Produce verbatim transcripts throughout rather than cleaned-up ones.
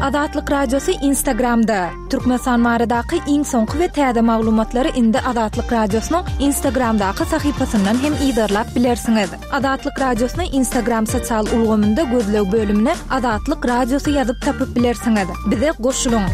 Azatlyk Radiosy Instagramda. Türkmenistan baradaky iň soňky we täze maglumatlary indi Azatlyk Radiosynyň Instagramdaky sahypasyndan hem yzarlap bilersiňiz. Azatlyk Radiosyny Instagram sosial ulgamynda gözleg bölümine Azatlyk Radiosy ýazyp tapyp bilersiňiz. Bize goşulyň.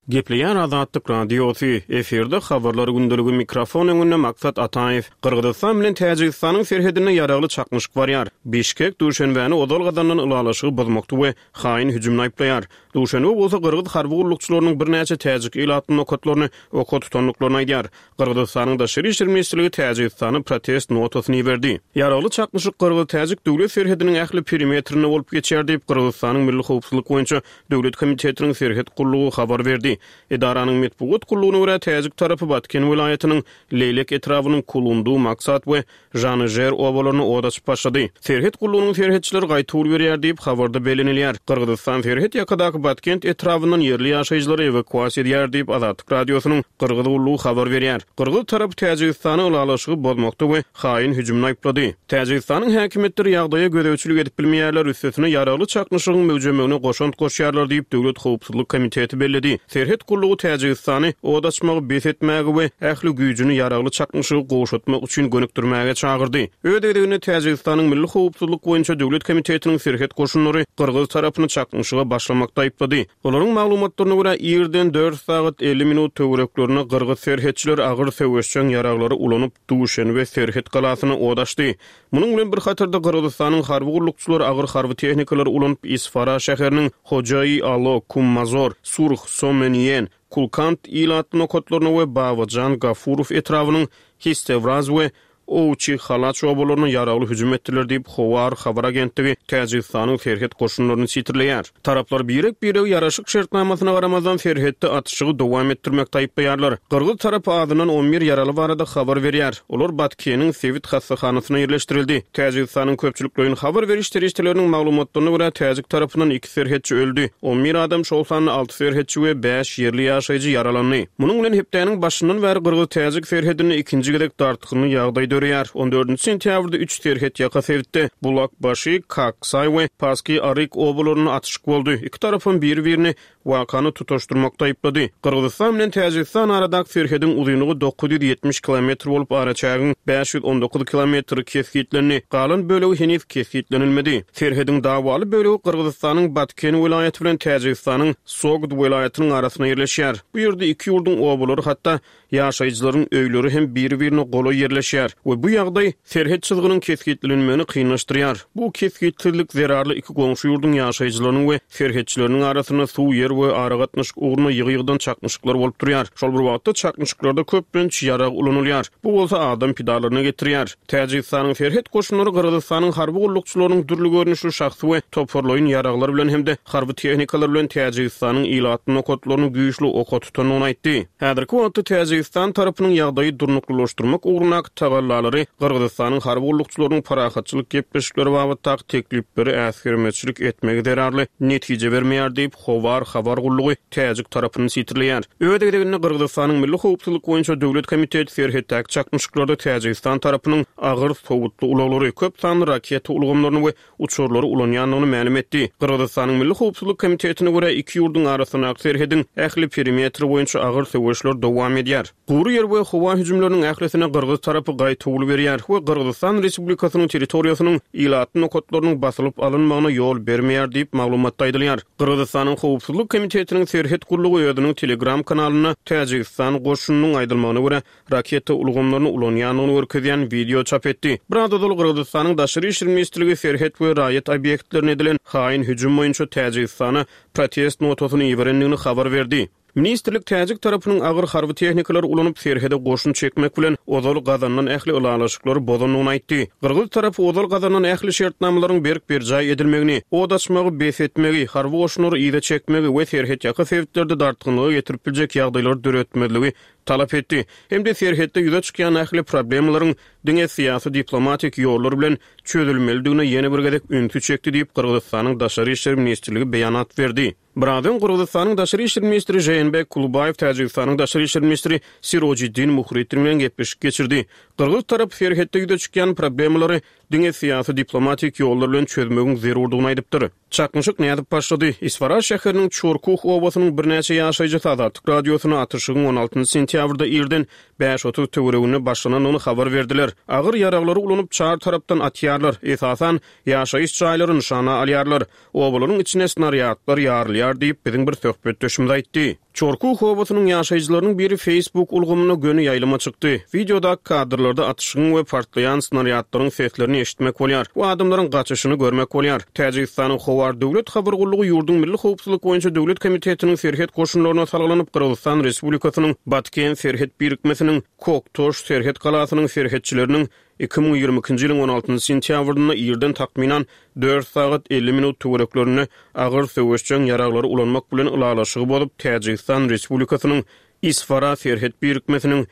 Gepleýär Azatlyk Radiosy, efirde habarlar gündeligi mikrofon öňünde Maksat Ataýew. Gyrgyzystan bilen Täjigistanyň serhedinde ýaragly çaknyşyk barýar. Bişkek Duşenbäni ozal gazanylan ylalaşygy bozmakda we haýyn hüjümini aýyplaýar. Duşenbe bolsa gyrgyz harby gullukçylarynyň birnäçe täjik ilatly nokatlaryny oka tutandyklaryny aýdýar. Gyrgyzystanyň Daşary işler ministrligi Täjigistana protest notasyny iberdi. Ýaragly çaknyşyk gyrgyz-täjik döwlet serhediniň ähli perimetrinde bolup geçýär diýip, Gyrgyzystanyň Milli howpsuzlyk boýunça döwlet komitetiniň serhet gullugy habar berdi. Edaranyň metbugat gullugyna görä, täjik tarapy Batken welaýatynyň Leýlek etrabynyň Kulundu, Maksat we Žanyžer obalaryna od açyp başlady. Serhet gullugynyň serhetçileri gaýtawul berýär diýip, habarda bellenilýär. Gyrgyzystan serhet ýakadaky Batkent etrabyndan ýerli ýaşaýjylary ewakuasiýa edýär diýip, Azatlyk Radiosynyň Gyrgyz gullugy habar berýär. Gyrgyz tarapy Täjigistany ylalaşygy bozmakda we haýyn hüjümini aýyplady. Täjigistanyň häkimiýetleri ýagdaýa gözegçilik edip bilmeýärler, üstesine ýaragly çaknyşygyň möwjemegine goşant goşýarlar diýip, Döwlet howpsuzlyk komiteti belledi. Serhet gullugy Täjigistany od açmagy bes etmäge we ähli güýjüni ýaragly çaknyşygy gowşatmak üçin gönükdirmäge çagyrdy. Öz gezeginde Täjigistanyň Milli howpsuzlyk boýunça döwlet komitetiniň serhet goşunlary gyrgyz tarapyny çaknyşyga başlamakda aýyplady. Olaryň maglumatlaryna görä, irden dört sagat elli minut töwereklerinde gyrgyz serhetçileri agyr söweşjeň ýaraglary ulanyp, Duşenbe serhet galasyna od açdy. Munuň bilen bir hatarda Gyrgyzystanyň harby gullukçylary agyr harby tehnikalary ulanyp, Isfara şäheriniň Hojaý-Alo, Kummazor, Surh, Someniýen, Kulkant ilatly nokatlaryna we Babajan Gafurow etrabynyň Histewraz we Owçy Halaç obalaryna ýaragly hüjüm etdiler diýip, Howar habar agentligi Täjigistanyň serhet goşunlaryny sitirleýär. Taraplar birek-biregi ýaraşyk şertnamasyna garamazdan serhetde atyşygy dowam etdirmekde aýyplaýarlar. Gyrgyz tarapy azyndan on bir ýaraly barada habar berýär. Olar Batkeniň sebit hassahanasyna ýerleşdirildi. Täjigistanyň köpçülikleýin habar beriş serişdeleriniň maglumatlaryna görä, täjik tarapyndan iki serhetçi öldi. On bir adam, şol sanda alty serhetçi we bäş ýerli ýaşaýjy ýaralandy. Munuň bilen hepdäniň başyndan bäri gyrgyz-täjik serhedinde ikinji gezek dartgynly ýagdaý döreýär. On dördünji sentýabrda üç serhetýaka sebitde Bulakbaşy, Kaksaý we Paski Aryk obalarynda atyşyk boldy. Iki tarapam biri-birini wakany tutaşdyrmakda aýyplady. Gyrgyzystan bilen Täjigistan aradaky serhediň uzynlygy dokuz ýüz ýetmiş kilometr bolup, araçägiň bäş ýüz on dokuz kilometri kesgitlendi. Galan bölegi heniz kesgitlenilmedi. Serhediň dawaly bölegi Gyrgyzystanyň Batken welaýaty bilen Täjigistanyň Sogd welaýatynyň arasynda ýerleşýär. Bu ýerde iki ýurduň obalary, hatda ýaşaýjylaryň öýleri hem biri-birine golaý ýerleşýär we bu ýagdaý serhet çyzgynyň kesgitlenmegini kynlaşdyrýar. Bu kesgitsizlik zerarly iki goňşy ýurduň ýaşaýjylarynyň we serhetçileriniň arasynda suw, ýer we aragatnaşyk ugrunda ýygy-ýygydan çaknyşyklar bolup durýar. Şol bir wagtda çaknyşyklarda köplenç ýarag ulanylýar. Bu bolsa adam pidalaryna getirýär. Täjigistanyň serhet goşunlary Gyrgyzystanyň harby gullukçylarynyň dürli görnüşli şahsy we toparlaýyn ýaraglar bilen hem-de harby tehnikalar bilen Täjigistanyň ilatly nokatlaryny güýçli oka tutandygyny aýtdy. Häzirki wagtda Täjigistan tarapynyň ýagdaýy durnuklylaşdyrmak ugrundaky tagallalary Gyrgyzystanyň harby gullukçylarynyň parahatçylyk gepleşikleri babatdaky teklipleri äsgermezçilik etmegi zerarly netije bermeýär diýip, Howar habar gullugy täjik tarapyny sitirleýär. Öz gezeginde Gyrgyzystanyň Milli howpsuzlyk boýunça döwlet komiteti serhetdäki çaknyşyklarda Täjigistan tarapynyň agyr sowutly ulaglary, köp sanly raketa ulgamlaryny we uçarlary ulanýandygyny mälim etdi. Gyrgyzystanyň Milli howpsuzlyk komitetine görä, iki ýurduň arasyndaky serhediň ähli perimetri boýunça agyr söweşler dowam edýär. Gury ýer we howa hüjümleriniň ählisine gyrgyz tarapy gaýtawul berýär we Gyrgyzystan Respublikasynyň territoriýasynyň ilatly nokatlarynyň basylyp alynmagyna ýol bermeýär diýip, maglumatda aýdylýar. Gyrgyzystanyň Howpsuzlyk komitetiniň serhet gullugy özüniň Telegram kanalynda Täjigistan goşunynyň aýdylmagyna görä, raketa ulgamlaryny ulanýandygyny görkezýän wideo çap etdi. Biraz ozal Gyrgyzystanyň Daşary işler ministrligi serhet we raýat obýektlerine edilen haýyn hüjüm boýunça Täjigistana protest notasyny iberendigini habar berdi. Ministrlik täjik tarapynyň agyr harby tehnikalary ulanyp, serhede goşun çekmek bilen ozal gazanylan ähli ylalaşyklary bozandygyny aýtdy. Gyrgyz tarapy ozal gazanylan ähli şertnamalaryň berk berjaý edilmegini, od açmagy bes etmegi, harby goşunlary yza çekmegi we serhetýaka sebitlerde dartgynlyga getirip biljek ýagdaýlary döretmezligi talap etdi. Hem-de serhetde ýüze çykýan ähli problemalaryň diňe syýasy diplomatik ýollar bilen çözülmelidigine ýene bir gezek ünsi çekdi diýip Gyrgyzystanyň Daşary işler ministrligi beýanat berdi. Biraz öň Gyrgyzystanyň Daşary işler ministri Jeenbek Kulubaýew Täjigistanyň Daşary işler ministri Sirojiddin Muhriddin bilen gepleşik geçirdi. Gyrgyz tarapy serhetde ýüze çykýan problemalary diňe syýasy diplomatik ýollar bilen çözmegiň zerurdygyny aýdypdyr. Çaknyşyk nädip başlady? Isfara şäheriniň Çorkuh obasynyň birnäçe ýaşaýjysy Azatlyk Radiosyna atyşygyň on altynjy sentýabrda irden bäş otuz töwereginde başlanandygyny habar berdiler. Agyr ýaraglary ulanyp çar tarapdan atýarlar. Esasan ýaşaýyş jaýlary nyşana alýarlar. Obalaryň içine snarýadlar ýarylýar diýip biziň bir söhbetdeşimiz aýtdy. Çorkuh obasynyň ýaşaýjylarynyň biri Facebook ulgamyna göni ýaýlyma çykdy. Videoda kadrlarda atyşygyň we partlaýan snarýadlaryň seslerini eşitmek bolýar. Bu adamlaryň gaçyşyny görmek bolýar. Täjigistanyň Howar Döwlet Habar Gullugy ýurduň Milli Howpsuzlyk boýunça Döwlet Komitetiniň serhet goşunlaryna salgylanyp Gyrgyzystan Respublikasynyň Batken serhet birikmesiniň Koktoş serhet galasynyň serhetçileriniň iki müň ýigrimi ikinji ýylyň on altynjy sentýabrynda irden takmynan dört sagat elli minut töwereklerinde agyr söweşjeň ýaraglary ulanmak bilen ylalaşygy bozup Täjigistan Respublikasynyň Isfara serhet birikmesiniň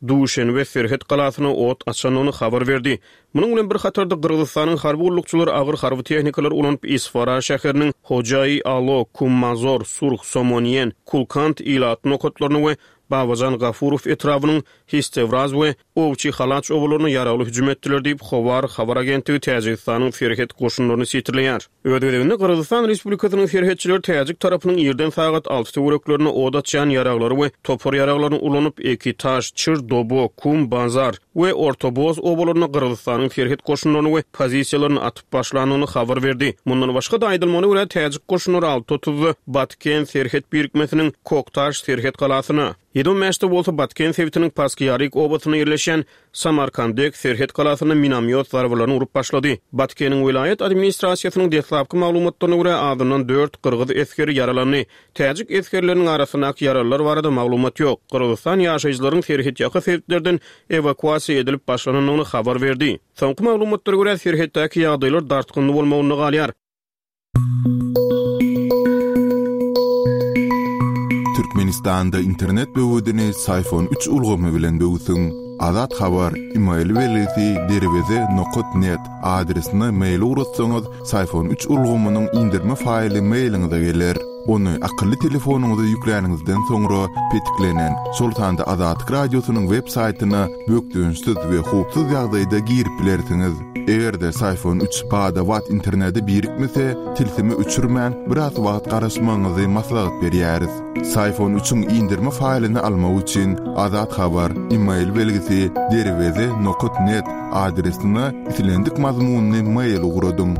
Duşenbe serhet galasyna ot açandygyny habar berdi. Munuň bilen bir hatarda Gyrgyzystanyň harby gullukçylary agyr harby tehnikalar ulanyp Isfara şäheriniň Hojaý Alo, Kummazor, Surh, Somoniýen, Kulkant ilat nokatlaryny we Babajan Gafurow etrabynyň Histewraz we Owçi Halaç obalaryna ýaragly hüjüm etdiler diýip Howar habar agentligi Täjigistanyň serhet goşunlaryny sitirleýär. Öz gezeginde Gyrgyzystan Respublikasynyň serhetçileri Täjik tarapynyň irden sagat alty töwereklerine od açýan ýaraglary we topar ýaraglaryny ulanyp Ekitaş, Çir, Dobo, Kum, Bazar we Ortoboz obalaryna Gyrgyzystanyň serhet goşunlaryny we pozisiýalaryny atyp başlandygyny habar berdi. Mundan başga-da aýdylmagyna görä Täjik goşunlary alty otuzda Batken serhet birikmesiniň Koktaş serhet galasyna, ýedi on bäşde bolsa Batken sebitiniň Paskiýarik obasyna ýerleşen Samarkandek serhet galasyna minamyot zarbalaryny urup başlady. Batkeniň welaýat administrasiýasynyň deslapky maglumatlaryna görä azyndan dört gyrgyz esgeri ýaralandy. Täjik esgerleriniň arasyndaky ýaralylar barada maglumat ýok. Gyrgyzystan ýaşaýjylaryň serhet ýaka sebitlerden ewakuasiýa edilip başlanandygyny habar berdi. Soňky maglumatlara görä serhetdäki ýagdaýlar dartgynly bolmagynda galýar. Türkmenistanda internet böwedini Syfon üç ulgamy bilen böwsüň. Azat Habar, e-mail belgisi derweze nokta net adresine mail ugratsaňyz, Syfon üç ulgamynyň indirme faýly mailiňize geler. Ony akylly telefonyňyza ýükläniňizden soňra petiklenen, şol sanda Azatlyk Radiosynyň web saýtyna bökdençsiz we howpsuz ýagdaýda girip bilersiňiz. Eger-de Syfon üç bada-bat internete birikmese, tilsimi öçürmän biraz wagt garaşmagyňyzy maslahat berýäris. Syfon üçiň indirme faýlyny almak üçin Azat Habar, e-mail belgisi derweze nokta net adresine islendik mazmunyny mail ugradyň.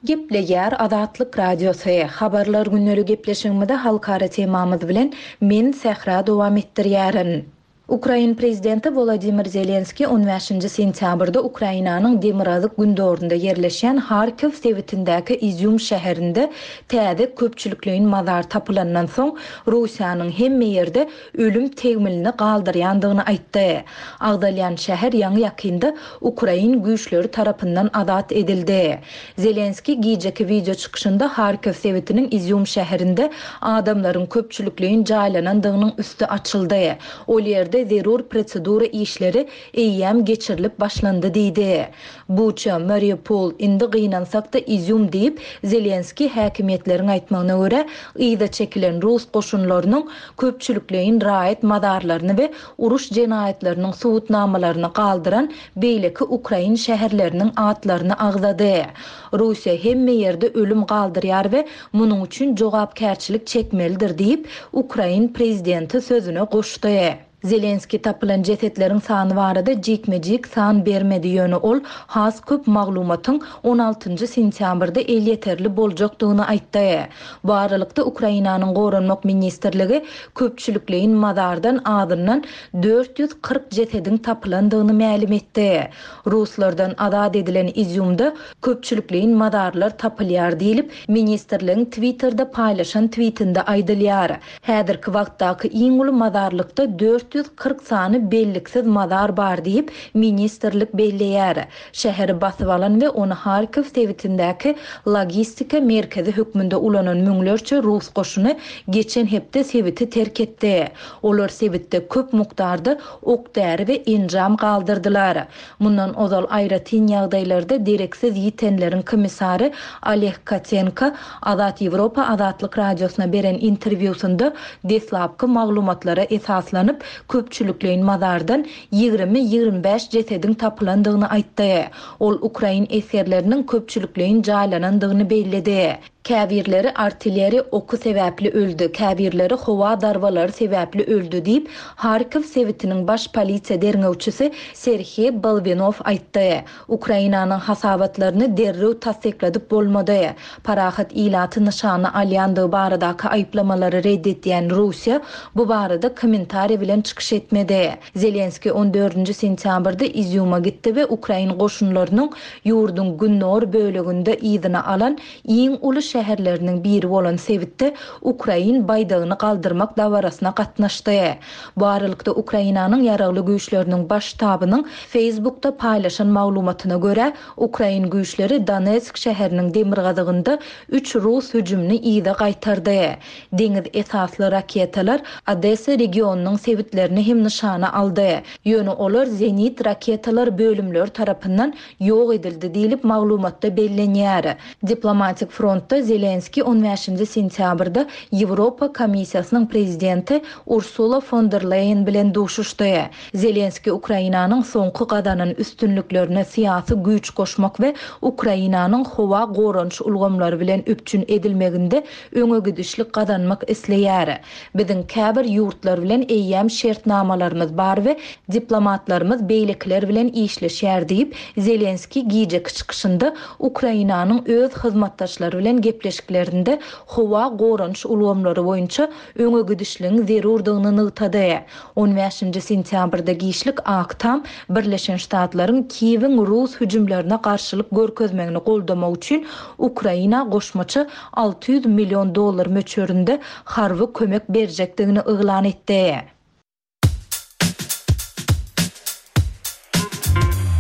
Gepleýär Azatlyk Radiosy. Habarlar günleri gepleşigimizde halkara temamyz bilen men Sähra dowam etdirýärin. Ukrain prezidenti Volodymyr Zelenski on bäşinji sentýabrda Ukrainanyň Demirgazyk gündorunda ýerleşen Harkiw sebitindäki Izýum şäherinde täze köpçülikleýin mazar tapylandan soň Russiýanyň hemme ýerde ölüm tegmilini galdyrýandygyny aýtdy. Agdalýan şäher ýaňy ýakynda Ukrain güýçleri tarapyndan azat edildi. Zelenski gijeki video çykyşynda Harkiw sebitiniň Izýum şäherinde adamlaryň köpçülikleýin jaýlanandygynyň üsti açyldy. Ol ýerde zerur prosedura işleri eýýäm geçirilip başlandy diýdi. Buça, Mariupol indi gynansak-da Izýum diýip, Zelenski häkimiýetleriň aýtmagyna görä, yza çekilen rus goşunlarynyň köpçülikleýin raýat mazarlaryny we uruş jenaýatlarynyň subutnamalaryny galdyran beýleki Ukrain şäherleriniň atlaryny agzady. Russiýa hemme ýerde ölüm galdyrýar we munuň üçin jogapkärçilik çekmelidir diýip, Ukrain prezidenti sözüne goşdy. Zelenski tapylan jesetleriň sany barada jikme-jik san bermedi, ýöne ol has köp maglumatyň on altynjy sentýabrda elýeterli boljakdygyny aýtdy. Bu aralykda Ukrainanyň Goranmak ministrligi köpçülikleýin mazardan azyndan dört ýüz kyrk jesediň tapylandygyny mälim etdi. Ruslardan azat edilen Izýumda köpçülikleýin mazarlar tapylýar diýilip, ministrligiň Twitterde paýlaşan tweetinde aýdylýar. Häzirki wagtdaky iň uly mazarlykda dört dört ýüz kyrk sany belliksiz mazar bar diýip, ministrlik belleýär. Şäheri basyp alan we ony Harkiw sebitindäki logistika merkezi hökmünde ulanan müňlerçe rus goşuny geçen hepde sebiti terk etdi. Olar sebitde köp mukdarda ok-däri we enjam galdyrdylar. Mundan ozal aýratyn ýagdaýlarda dereksiz ýitenleriň komissary Oleg Kotenko Azat Ýewropa Azatlyk Radiosyna beren interwýusynda deslapky maglumatlara esaslanyp, köpçülikleýin mazardan ýigrimi-ýigrimi bäş jesediň tapylandygyny aýtdy. Ol ukrain esgerleriniň köpçülikleýin jaýlanandygyny belledi. Käbirleri artilleriýa oky sebäpli öldi, käbirleri howa zarbalary sebäpli öldi diýip, Harkiw sebitiniň baş polisiýa derňewçisi Serhiý Bolwinow aýtdy. Ukrainanyň hasabatlaryny derrew tassykladyp bolmady. Parahat ilaty nyşana alýandygy baradaky aýyplamalary red edýän Russiýa bu barada kommentariý bilen çykyş etmedi. Zelenskiý on dördünji sentýabrda Izýuma gitdi we ukrain goşunlarynyň ýurduň gündogar böleginde yzyna alan iň uly şäherleriniň biri bolan sebitde ukrain baýdagyny galdyrmak dabarasyna gatnaşdy. Bu aralykda Ukrainanyň ýaragly güýçleriniň baş ştabynyň Facebookda paýlaşan maglumatyna görä, ukrain güýçleri Donetsk şäheriniň demirgazygynda üç rus hüjümini yza gaýtardy. Deňiz esasly raketalar Odessa regionynyň sebitlerini hem nyşana aldy. Ýöne olar zenit raketalar bölümleri tarapyndan ýok edildi diýlip maglumatda bellenýär. Diplomatik frontda Zelenskiý on bäşinji sentýabrda Ýewropa Komissiýasynyň prezidenti Ursula fon der Leýen bilen duşuşdy. Zelenskiý Ukrainanyň soňky gazanan üstünliklerine syýasy güýç goşmak we Ukrainanyň howa goranyş ulgamlary bilen üpjün edilmeginde öňe gidişlik gazanmak isleýär. Biziň käbir ýurtlar bilen eýýäm şertnamalarymyz bar we diplomatlarymyz beýlekiler bilen işleşýär diýip, Zelenskiý gijeki çykyşynda Ukrainanyň öz hyzmatdaşlary bilen gepleşiklerinde howa goranyş ulgamlary boýunça öňe gidişligiň zerurdygyny nygtady. On bäşinji sentýabrda giçlik Ak Tam Birleşen Ştatlaryň Kiýewiň rus hüjümlerine garşylyk görkezmegini goldamak üçin Ukraina goşmaça alty ýüz million dollar möçberinde harby kömek berjekdigini yglan etdi.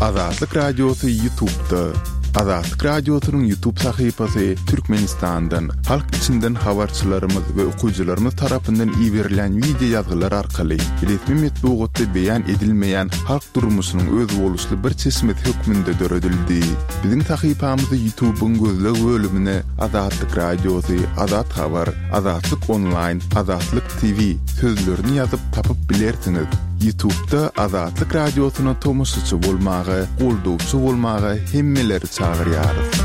Azatlyk Radiosy YouTube'da. Azatlyk Radiosynyň YouTube sahypasy Türkmenistandan, halk içinden habarçylarymyz we okyjylarymyz tarapyndan iberilen video ýazgylar arkaly resmi metbugatda beýan edilmeýän halk durmuşynyň özboluşly bir çeşmesi hökmünde döredildi. Biziň sahypamyzy YouTube'yň gözleg bölümine Azatlyk Radiosy, Azat Habar, Azatlyk Online, Azatlyk T V sözlerini ýazyp tapyp bilersiňiz. YouTube'da Azatlyk Radiosyna tomaşaçy bolmaga, goldawçy bolmaga hemmeleri çagyrýarys.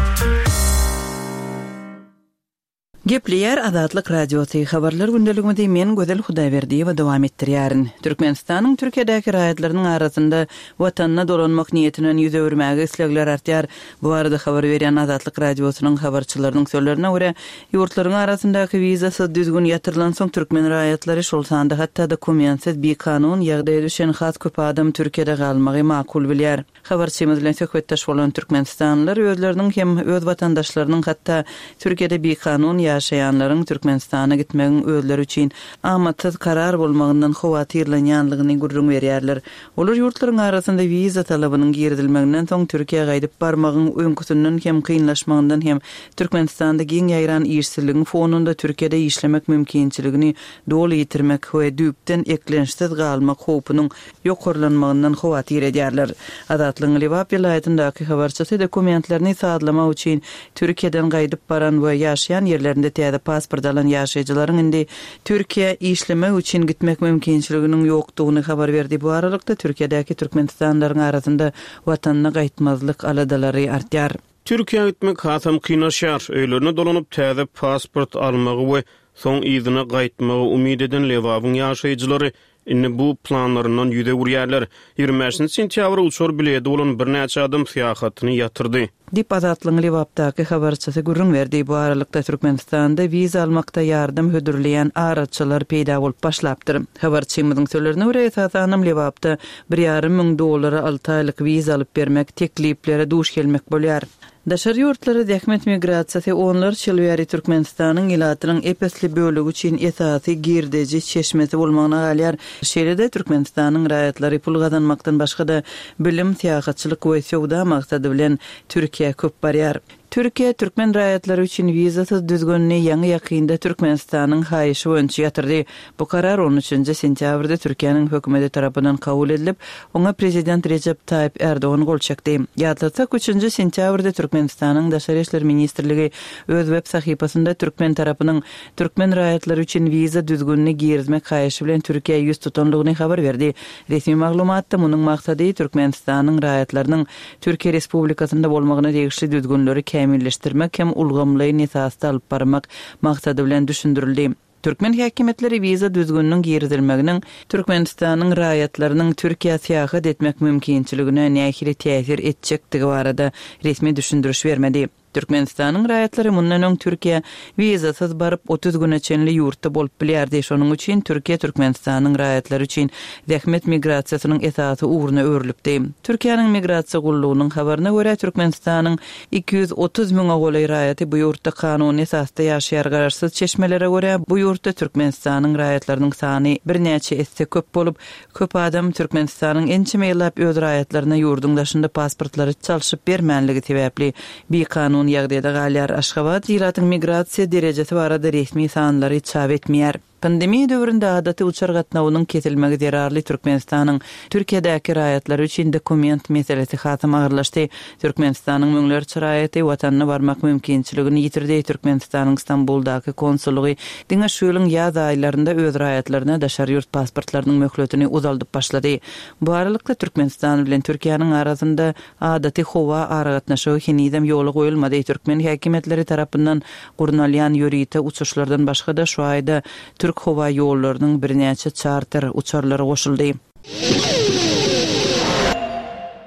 Gepleýär Azatlyk Radiosy habarlar gündeligimizi men Gözel Hudaýberdiýewa dowam etdirýärin. Türkmenistanyň Türkiýedäki raýatlarynyň arasynda watanyna dolanmak niýetinden ýüz öwürmäge islegler artýar. Bu barada habar berýän Azatlyk Radiosynyň habarçylarynyň sözlerine görä, ýurtlaryň arasyndaky wizasyz düzgün ýatyrylan soň türkmen raýatlary şol sanda hatda dokumentsiz bikanun ýagdaýa düşen has köp adam Türkiýede galmagy makul bilýär. Habarçymyz bilen söhbetdeş bolan Türkmenistanlylar özleriniň hem öz watandaşlarynyň hatda Türkiýede bikanun ýaşaýanlaryň Türkmenistana gitmegiň özleri üçin amatsyz karar bolmagyndan howatyrlanýanlygyny gürrüň berýärler. Olar ýurtlaryň arasynda wiza talabynyň girizilmeginden soň Türkiýä gaýdyp barmagyň öňküsinden hem kynlaşmagyndan hem Türkmenistanda giň ýaýran işsizligiň fonunda Türkiýede işlemek mümkinçiligini doly ýitirmek we düýpden eklençsiz galmak howpunyň ýokarlanmagyndan howatyr edýärler. Azatlygyň Lebap welaýatyndaky habarçysy dokumentlerini sazlamak üçin Türkiýeden gaýdyp baran we ýaşaýan ýerlerinde täze pasport alan ýaşaýjylaryň indi Türkiýä işlemek üçin gitmek mümkinçiliginiň ýokdugyny habar berdi. Bu aralykda Türkiýedäki Türkmenistanlylaryň arasynda watanyna gaýtmazlyk aladalary artýar. Türkiýä gitmek hasam kynlaşýar. Öýlerine dolanyp täze pasport almagy we soň yzyna gaýtmagy umyt eden Lebabyň ýaşaýjylary indi bu planlaryndan ýüze öwürýärler. Ýigrimi bäşinji sentýabr uçar bileti bolan birnäçe adam syýahatyny ýatyrdy. Diýip, Azatlygyň Lebapdaky habarçysy gürrüň berdi. Bu aralykda, Türkmenistanda wiza almakda ýardam hödürleýän araçylar peýda bolup başlapdyr. Habarçymyzyň sözlerine görä, esasanam Lebapda bir ýarym müň dollara alty aýlyk wiza alyp bermek tekliplere duş gelmek bolýar. Daşary ýurtlara zähmet migrasiýasy onlarça ýyl bäri Türkmenistanyň ilatynyň ep-esli bölegi üçin esasy girdeji çeşmesi bolmagyna galýar. Şeýle-de Türkmenistanyň raýatlary pul gazanmakdan başga-da bilim, syýahatçylyk we söwda maksady bilen Türkiýä köp barýar. Türkiýe türkmen raýatlary üçin wizasyz düzgünini ýaňy-ýakynda Türkmenistanyň haýyşy boýunça ýatyrdy. Bu karar on üçünji sentýabrda Türkiýäniň hökümeti tarapyndan kabul edilip, oňa prezident Rejep Taýyp Ärdogan gol çekdi. Ýatlatsak, üçünji sentýabrda Türkmenistanyň Daşary işler ministrligi öz web sahypasynda türkmen tarapynyň türkmen raýatlary üçin wiza düzgünini girizmek haýyşy bilen Türkiýä ýüz tutanlygyny habar berdi. Resmi maglumatda munuň maksady Türkmenistanyň raýatlarynyň Türkiýe Respublikasynda bolmagyna degişli düzgünleri kämilleşdirmek hem ulgamlaýyn esasda alyp barmak maksady bilen düşündirildi. Türkmen häkimiýetleri wiza düzgüniniň girizilmeginiň Türkmenistanyň raýatlarynyň Türkiýä syýahat etmek mümkinçiligine nähili täsir etjekdigi barada resmi düşündiriş bermedi. Türkmenistanyň raýatlary mundan öň Türkiýä wizasyz baryp, otuz güne çenli ýurtda bolup bilýärdi. Şonuň üçin Türkiýe Türkmenistanyň raýatlary üçin zähmet migrasiýasynyň esasy ugruna öwrülipdi. Türkiýäniň Migrasiýa gullugynyň habaryna görä, Türkmenistanyň iki ýüz otuz müňe golaý raýaty bu ýurtda kanuny esasda ýaşaýar. Garaşsyz çeşmelere görä, bu ýurtda Türkmenistanyň raýatlarynyň sany birnäçe esse köp bolup, köp adam Türkmenistanyň ençeme ýyllap öz raýatlaryna ýurduň daşynda pasportlary çalşyp bermänligi sebäpli bikanun ýagdaýda galýar. Aşgabat ilatyň migrasiýa derejesi barada resmi sanlary çap etmeýär. Pandemiýa döwründe adaty uçar gatnawynyň kesilmegi zerarly Türkmenistanyň Türkiýedäki raýatlary üçin dokument meselesi hasam agyrlaşdy. Türkmenistanyň müňlerçe raýaty watanyna barmak mümkinçiligini ýitirdi. Türkmenistanyň Stambuldaky konsullygy diňe şu ýylyň ýaz aýlarynda öz raýatlaryna daşary ýurt pasportlarynyň möhletini uzaldyp başlady. Bu aralykda Türkmenistan bilen Türkiýäniň arasynda adaty howa aragatnaşygy henizem ýola goýulmady. Türkmen häkimiýetleri tarapyndan gurnalýan ýörite uçuşlardan başga-da şu aýda Türk howa ýollarynyň birnäçe çarter uçarlary goşuldy.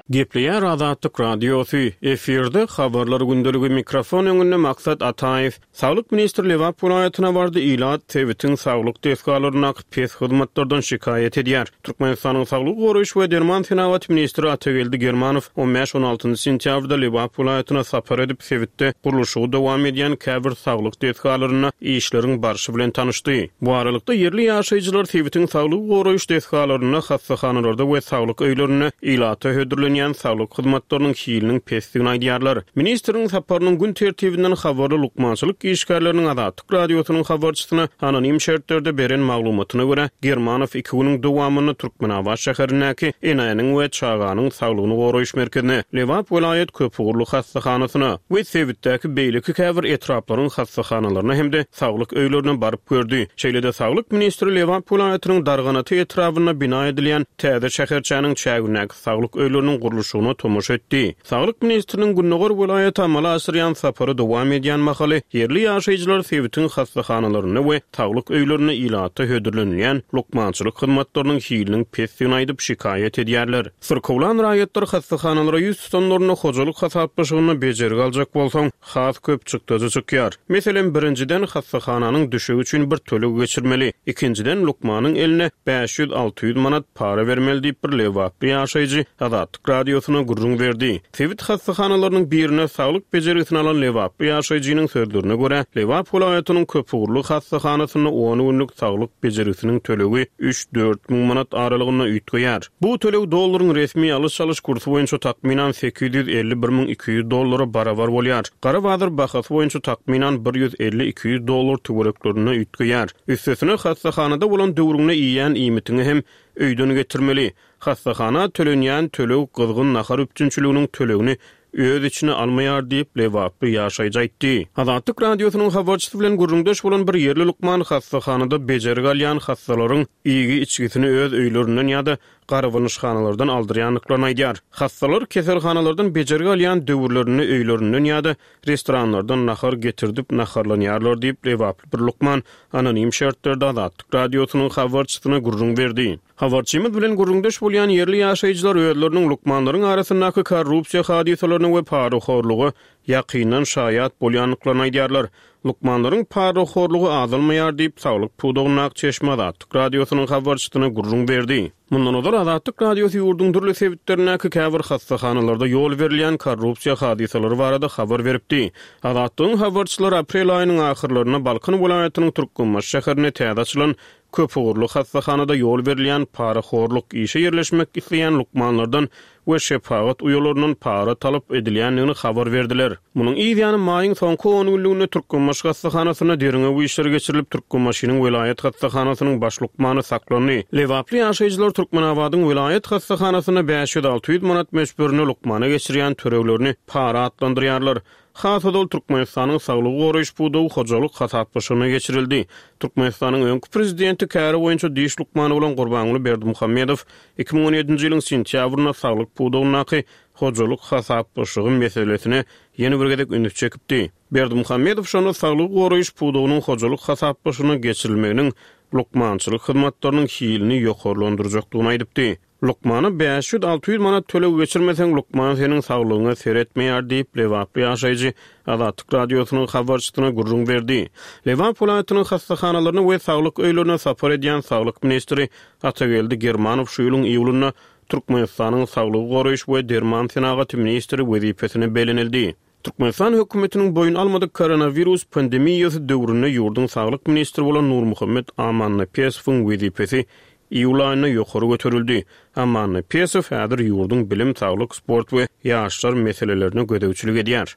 Gepleýär Azatlyk Radiosy, efirde habarlar gündeligi mikrofon öňünde Maksat Ataýew. Saglyk ministri Lebap welaýatyna bardy, ilat sebitiň saglyk desgalaryndaky pes hyzmatlardan şikaýat edýär. Türkmenistanyň Saglygy goraýyş we derman senagaty ministri Atageldi Germanow on bäş on altynjy sentýabrda Lebap welaýatyna sapar edip, sebitde gurluşygy dowam edýän käbir saglyk desgalarynda işleriň barşy bilen tanyşdy. Bu aralykda ýerli ýaşaýjylar sebitiň saglygy goraýyş desgalarynda, hassahanalarda we saglyk öýlerinde ilata hödürlenýän saglyk hyzmatlarynyň hiliniň pesdigini aýdýarlar. Ministriň saparynyň gün tertibinden habarly lukmançylyk işgärleriniň Azatlyk Radiosynyň habarçysyna anonim şertlerde beren maglumatyna görä, Germanow iki günüň dowamynda Türkmenabat şäherindäki enäniň we çaganyň saglygyny goraýyş merkezine, Lebap welaýat köpugurly hassahanasyna we sebitdäki beýleki käbir etraplaryň hassahanalaryna hem-de saglyk öýlerine baryp gördi. Şeýle-de saglyk ministri Lebap welaýatynyň Darganata etrabynda bina edilýän täze şäherçäniň çägindäki saglyk öýleriniň gurluşygyna tomaşa etdi. Saglyk ministriniň Gündogar welaýaty amala aşyrýan sapary dowam edýän mahaly ýerli ýaşaýjylar sebitiň hassahanalarynda we saglyk öýlerinde ilata hödürlenilýän lukmançylyk hyzmatlarynyň hiliniň pesdigini aýdyp şikaýat edýärler. Syrkawlan raýatlar hassahanalara ýüz tutanlarynda hojalyk hasaplaşygynda bejergi aljak bolsaň, has köp çykdajy çykýar. Meselem, birinjiden hassahananyň düşegi üçin bir töleg geçirmeli, ikinjiden lukmanyň eline bäş ýüz alty ýüz manat para bermeli diýip bir lebaply ýaşaýjy Azatlyk Radiosyna gürrüň berdi. Sebit hassahanalarynyň birine saglyk bejergisini alan lebaply ýaşaýjynyň sözlerine görä, Lebap welaýatynyň köpugurly hassahanasynda on günlük saglyk bejergisiniň tölegi üç dört müň manat aralygynda üýtgeýär. Bu töleg dollaryň resmi alyş-çalyş kursy boýunça takmynan sekiz ýüz elli bir müň iki ýüz dollara barabar bolýar. Gara bazar bahasy boýunça takmynan bir ýüz elli iki ýüz dollar töwereklerinde üýtgeýär. Üstesine hassahanada bolan döwrüňde iýen iýmitiňi hem öýden getirmeli. Hassahana tölenýän töleg gyzgyn nahar üpjünçiliginiň tölegini öz içine almaýar diýip Lebaply ýaşaýjy aýtdy. Azatlyk Radiosynyň habarçysy bilen gürrüňdeş bolan bir ýerli lukman hassahanada bejergi alýan hassalaryň iýgi içgisini öz öýlerinden ýa-da garabanyşhanalardan aldyrýandyklaryny aýdýar. Hassalar keselhanalardan bejergi alýan döwürlerinde öýlerinden ýa-da restoranlardan nahar getirdip naharlanýarlar diýip Lebaply bir lukman anonim şertlerde Azatlyk Radiosynyň habarçysyna gürrüň berdi. Habarçymyz bilen gürrüňdeş bolýan ýerli ýaşaýjylar özleriniň lukmanlaryň arasyndaky korrupsiýa hadysalaryna we parahorluga ýakyndan şaýat bolýandyklaryny aýdýarlar. Lukmanlaryň parahorlugy azalmaýar diýip, Saglyk pudagyndaky Çeşme Azatlyk Radiosynyň habarçysyna gürrüň berdi. Mundan ozal Azatlyk Radiosy ýurduň dürli sebitlerindäki käbir hassahanalarda ýol berilýän korrupsiýa hadysalary barada habar beripdi. Azatlygyň habarçylary aprel aýynyň ahyrlarynda Balkan welaýatynyň Türkmenbaşy şäherinde täze açylan köpugurly hassahanada ýol berilýän parahorluk, işe ýerleşmek isleýän lukmanlardan we şepagat uýalaryndan para talap edilýändigini habar berdiler. Munuň yz ýany maýyň soňky on günlüginde Türkmenbaşy hassahanasynda derňew işleri geçirilip, Türkmenbaşynyň welaýat hassahanasynyň baş lukmany saklandy. Lebaply ýaşaýjylar Türkmenabadyň welaýat hassahanasynda bäş ýüz alty ýüz manat möçberinde lukmana geçirýän töleglerini para atlandyrýarlar. Has ozal Türkmenistanyň saglygy goraýyş pudagy hojalyk hasaplaşygyna geçirildi. Türkmenistanyň öňki prezidenti käri boýunça diş lukmany bolan Gurbanguly Berdimuhamedow iki müň on ýedinji ýylyň sentýabrynda saglyk pudagyndaky hojalyk hasaplaşygy meselesine ýene bir gezek üns çekipdi. Berdimuhamedow şonda saglygy goraýyş pudagynyň hojalyk hasaplaşygyna geçirilmeginiň lukmançylyk hyzmatlarynyň hilini ýokarlandyrjakdygyny aýdypdy. Lukmana bäş ýüz alty ýüz manat töleg geçirmeseň, lukman seniň saglygyňa seretmeýär diýip, Lebaply ýaşaýjy Azatlyk Radiosynyň habarçysyna gürrüň berdi. Lebap welaýatynyň hassahanalaryna we saglyk öýlerine sapar edýän saglyk ministri Atageldi Germanow şu ýylyň iýulynda Türkmenistanyň saglygy goraýyş we derman senagaty ministri wezipesine bellenildi. Türkmenistan hökümetiniň boýun almadyk koronawirus pandemiýasy döwründe ýurduň saglyk ministri bolan Nurmuhammet Amannepesowyň wezipesi iýul aýynda ýokary göterildi. Amannepesow häzir ýurduň bilim, saglyk, sport we ýaşlar meselelerine gözegçilik edýär.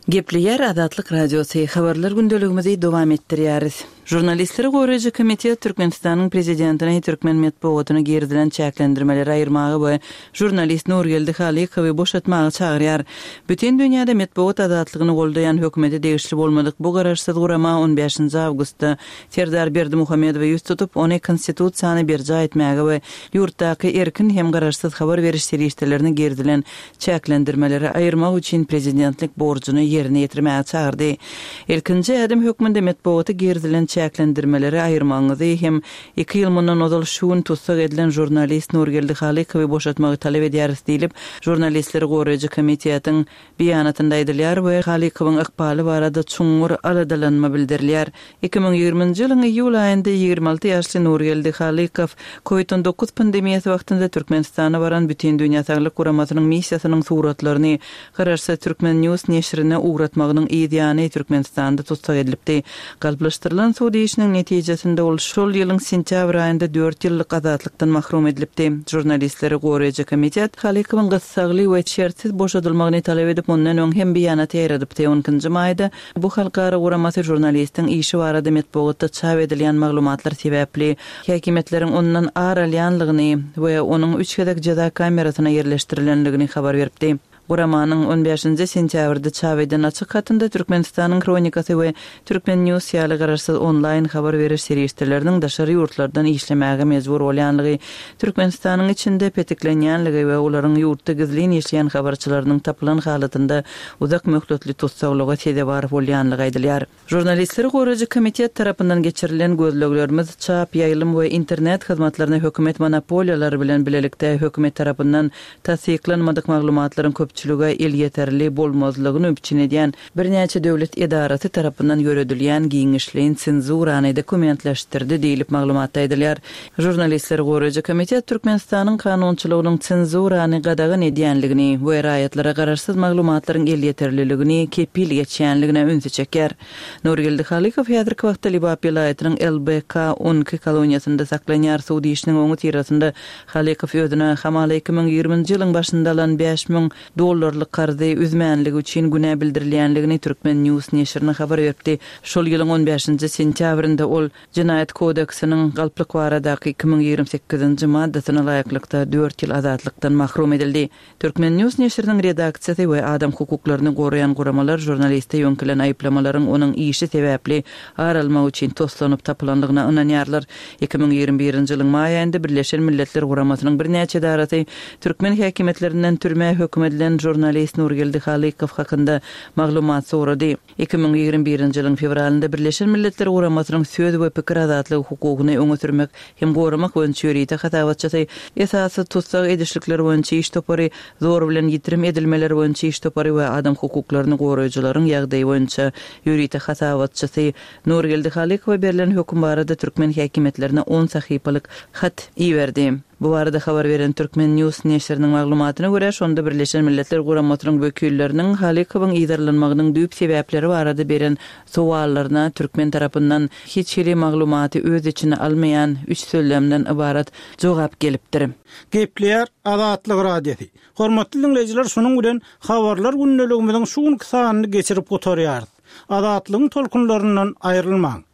Gepleýär Azatlyk Radiosy, habarlar gündeligimizi dowam etdirýäris. Žurnalistleri goraýjy komitet Türkmenistanyň prezidentine türkmen metbugatyna girizilen çäklendirmeleri aýyrmaga we žurnalist Nurgeldi Halykowy boşatmaga çagyrýar. Bütün dünýäde metbugat azatlygyny goldaýan hökümete degişli bolmadyk bu garaşsyz gurama on bäşinji awgustda Serdar Berdimuhamedowy ýüz tutup, ony konstitusiýany berjaý etmäge we ýurtdaky erkin hem garaşsyz habar beriş serişdelerini girizilen çäklendirmeleri aýyrmak üçin prezidentlik borjuny ýerine ýetirmäge çagyrdy. Ilkinji ädim hökmünde metbugata girizilen çäklendirmeleri aýyrmagyňyzy hem iki ýyl mundan ozal şu gün tussag edilen žurnalist Nurgeldi Halykowy boşatmagy talap edýäris diýlip, žurnalistleri goraýjy komitetiň beýanatynda aýdylýar we Halykowyň ykbaly barada çuňňur aladalanma bildirilýär. Iki müň ýigriminji ýylyň iýul aýynda ýigrimi alty ýaşly Nurgeldi Halykow COVID on dokuz pandemiýasy wagtynda Türkmenistana baran Bütindünýä Saglyk Guramasynyň missiýasynyň suratlaryny Garaşsyz Türkmen News neşirine ugratmagynyň yz ýany Türkmenistanda tussag edilipdi. Galplaşdyrylan sud işiniň netijesinde ol şol ýylyň sentýabr aýynda dört ýyllyk azatlykdan mahrum edilipdi. Žurnalistleri goraýjy komitet Halykowyň gyssagly we şertsiz boşadylmagyny talap edip, ondan öň hem beýanat ýaýradypdy. On ikinji maýda bu halkara guramasy žurnalistiň işi barada metbugatda çap edilýän maglumatlar sebäpli häkimiýetleriň ondan ar alýanlygyny we onuň üç gezek jeza kamerasyna ýerleşdirilenligini habar beripdi. Guramanyň on bäşinji sentýabrda çap eden açyk hatynda Türkmenistanyň Kronikasy we Türkmen News ýaly garaşsyz onlaýn habar beriş serişdeleriniň daşary ýurtlardan işlemäge mejbur bolýanlygy, Türkmenistanyň içinde petiklenýänligi we olaryň ýurtda gizlin işleýän habarçylarynyň tapylan halatynda uzak möhletli tussaglyga sezewar bolýanlygy aýdylýar. Žurnalistleri goraýjy komitet tarapyndan geçirilen gözleglerimiz çap, ýaýlym we internet hyzmatlaryna hökümet monopoliýalary bilen bilelikde hökümet tarapyndan tassyklanmadyk maglumatlaryň köpçülige elýeterli bolmazlygyny üpjün edýän birnäçe döwlet edarasy tarapyndan ýöredilýän giňişleýin senzurany dokumentleşdirdi diýlip maglumatda aýdylýar. Žurnalistleri goraýjy komitet Türkmenistanyň kanunçylygynyň senzurany gadagan edýänligini we raýatlara garaşsyz maglumatlaryň elýeterliligini kepil geçýänligine ünsi çekýär. Nurgeldi Halykow häzirki wagtda Lebap welaýatynyň L B K on iki koloniýasynda saklanýar. Sud işiniň oňy tyrasynda Halykow özüne hamala iki müň ýigriminji ýylyň başynda alan bäş müň dollarlyk karzy üzmänligi üçin günä bildirilýänligini Türkmen News neşirine habar beripdi. Şol ýylyň on bäşinji sentýabrynda ol Jenaýat kodeksiniň galplyk baradaky iki müň ýigrimi sekizinji maddasyna laýyklykda dört ýyl azatlykdan mahrum edildi. Türkmen News neşiriniň redaksiýasy we adam hukuklaryny goraýan guramalar žurnaliste ýöňkülen aýyplamalaryň onuň işi sebäpli ar almak üçin toslanyp tapylanlygyna ynanýarlar. Iki müň ýigrimi birinji ýylyň maý aýynda Birleşen Milletler Guramasynyň birnäçe edarasy türkmen häkimiýetlerinden türmä höküm edilen edilen žurnalist Nurgeldi Halykow hakynda maglumat sorady. Iki müň ýigrimi birinji ýylyň fewralynda Birleşen Milletler Guramasynyň söz we pikir azatlygy hukugyny öňe sürmek hem goramak boýunça ýörite hasabatçysy, esasy tussag edişlikler boýunça iş topary, zor bilen ýitirim edilmeler boýunça iş topary we adam hukuklaryny goraýjylaryň ýagdaýy boýunça ýörite hasabatçysy Nurgeldi Halykowa berlen höküm barada türkmen häkimiýetlerine on sahypalyk hat iberdi. Bu barada habar beren Turkmen. News neşiriniň maglumatyna görä, şonda Birleşen Milletler Guramasynyň wekilleriniň Halykowyň yzarlanmagynyň düýp sebäpleri barada beren sowallaryna türkmen tarapyndan hiç hili maglumaty öz içine almaýan üç sözlemden ybarat jogap gelipdir. Gepleýär Azatlyk Radiosy. Hormatly diňleýjiler, şunuň bilen Habarlar gündeligimiziň şu günki sanyny geçirip gutarýarys. Azatlygyň tolkunlaryndan aýrylmaň.